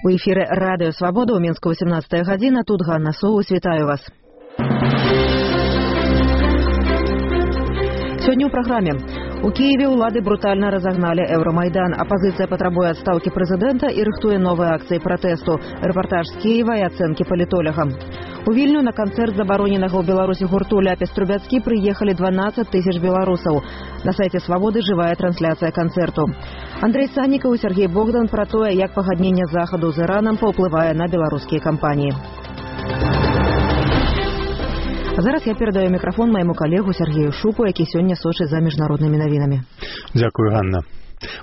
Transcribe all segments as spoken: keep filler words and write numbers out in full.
У эфіры Радыё Свабода ў Мінску восемнадцатая гадзіна. Тут Ганна Соус, вітаю вас. Сёння ў праграме. У Киеве ўлады брутальна разагналі Еўрамайдан. Апазіцыя патрабуе адстаўкі прэзідэнта і рыхтуе новыя акцыі пратэсту. Рэпартаж з Киева і ацэнкі палітолага. У Вільню на канцэрт забароненага ў Беларусі гурту Ляпіс Трубяцкі прыехалі дванаццаць тысяч беларусаў. На сайце Свабоды жывая трансляцыя канцэрту. Андрей Саннікаў і Сергей Богдан пра тое, як пагадненне Захаду з Іранам паўплывае на беларускія кампаніі. А зараз я перадаю мікрафон майму калегу Сергею Шупу, які сёння сочыць за міжнароднымі навінамі. Дзякую, Ганна.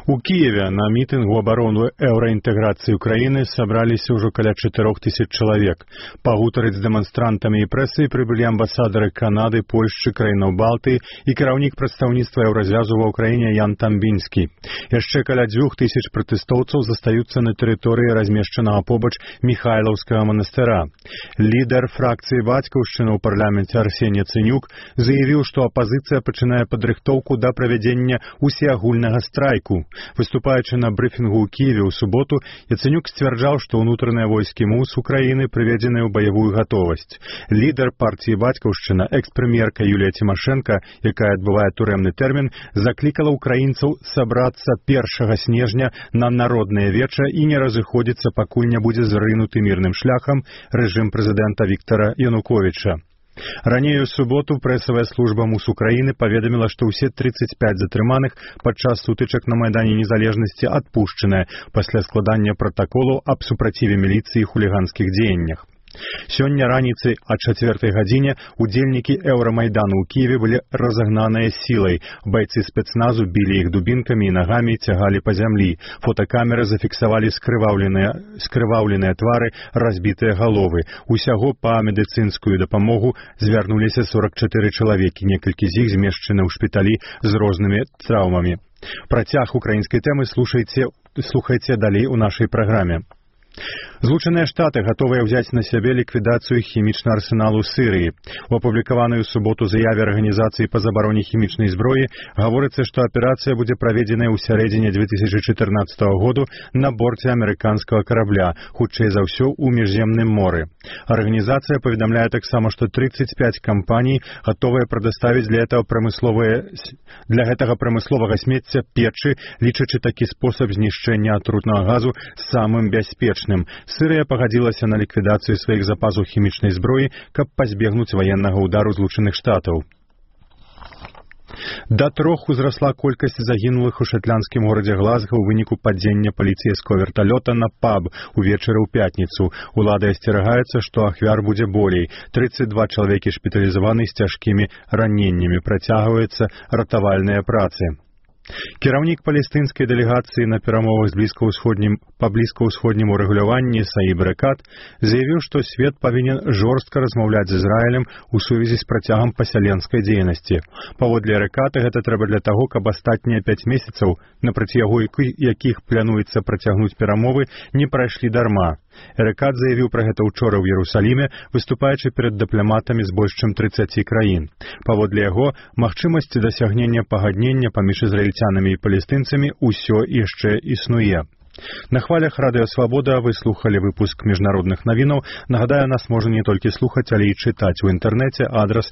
У Киеве на мітынгу абарону еўраінтэграцыі Украіны сабраліся ўжо каля чатырох тысяч чалавек. Пагутарыць з дэманстрантамі і прэсай прыбылі амбасадары Канады, Польшчы, краінаў Балтыі і кіраўнік прадстаўніцтва еўразвязу ва ўкраіне Ян Тамбінскі. Яшчэ каля дзвюх тысяч пратэстоўцаў застаюцца на тэрыторыі размешчанага побач Міхайлаўскага манастыра. Лідар фракцыі бацькаўшчыны ў парламенце Арсень Яцэнюк заявіў, што апазіцыя пачынае падрыхтоўку да правядзення усеагульнага страйку. Выступаючы на брыфінгу ў Киеве ў суботу, Яцэнюк сцвярджаў, што ўнутраныя войскі МУС Украіны прыведзеныя ў баявую гатовасць. Лідар партыі бацькаўшчына, экс-прэм'ерка Юлія Цімашэнка, якая адбывае турэмны тэрмін, заклікала ўкраінцаў сабрацца першага снежня на народнае веча і не разыходзіцца, пакуль не будзе зрынуты мірным шляхам рэжым прэзідэнта Віктара Януковіча. Раней у суботу прэсавая служба МУС Украіны паведаміла, што ўсе трыццаць пяць затрыманых падчас сутычак на Майдане Незалежнасці адпушчаныя пасля складання пратаколу аб супраціве міліцыі і хуліганскіх дзеяннях. Сёння раніцай а чацвёртай гадзіне удзельнікі Еўрамайдану ў Киеве былі разагнаныя сілай. Байцы спецназу білі іх дубінкамі і нагамі, цягалі па зямлі. Фотакамеры зафіксавалі скрываўленыя, скрываўленыя твары, разбітыя галовы. Усяго па медыцынскую дапамогу звярнуліся сорак чатыры чалавекі, некалькі з іх змешчаны ў шпіталі з рознымі траўмамі. Працяг украінскай тэмы слухайце, слухайце далей у нашай праграме. Злучаныя Штаты гатовыя ўзяць на сябе ліквідацыю хімічнага арсеналу Сірыі. У апублікаванай у суботу заяве арганізацыі па забароне хімічнай зброі гаворыцца, што аперацыя будзе праведзеная ў сярэдзіне дзве тысячы чатырнаццатага году на борце амерыканскага карабля, хутчэй за ўсё ў міжземным моры. Арганізацыя паведамляе таксама, што трыццаць пяць кампаній гатовыя прадаставіць для гэтага прамысловыя для гэтага прамысловага смецця печы, лічачы такі спосаб знішчэння атрутнага газу самым бяспечным. Сірыя пагадзілася на ліквідацыю сваіх запасаў хімічнай зброі, каб пазбегнуць ваеннага ўдару Злучаных Штатаў. Да трох узрасла колькасць загінулых у шатландскім горадзе Глазга ў выніку падзення паліцэйскага верталёта на паб увечары ў пятніцу. Улады асцерагаецца, што ахвяр будзе болей. трыццаць два чалавекі шпіталізаваны з цяжкімі раненнямі. Працягваюцца ратавальныя працы. Кіраўнік палестынскай дэлегацыі на перамовах з блізкаўсходнім па блізкаўсходнім урэгуляванні Саіб Рекат заявіў, што свет павінен жорстка размаўляць з Ізраілем у сувязі з працягам пасяленскай дзейнасці. Паводле Реката гэта трэба для таго, каб астатнія пяць месяцаў, на працягу якіх плануецца працягнуць перамовы, не прайшлі дарма. Рекат заявіў пра гэта ўчора ў Іерусаліме, выступаючы перад дыпламатамі з больш чым трыццаці краін. Паводле яго, магчымасці дасягнення пагаднення паміж ізраільцянамі і палестынцамі ўсё яшчэ існуе. На хвалях Радыё Свабода вы слухалі выпуск міжнародных навінаў. Нагадаю, нас можна не толькі слухаць, але і чытаць у інтэрнэце. Адрас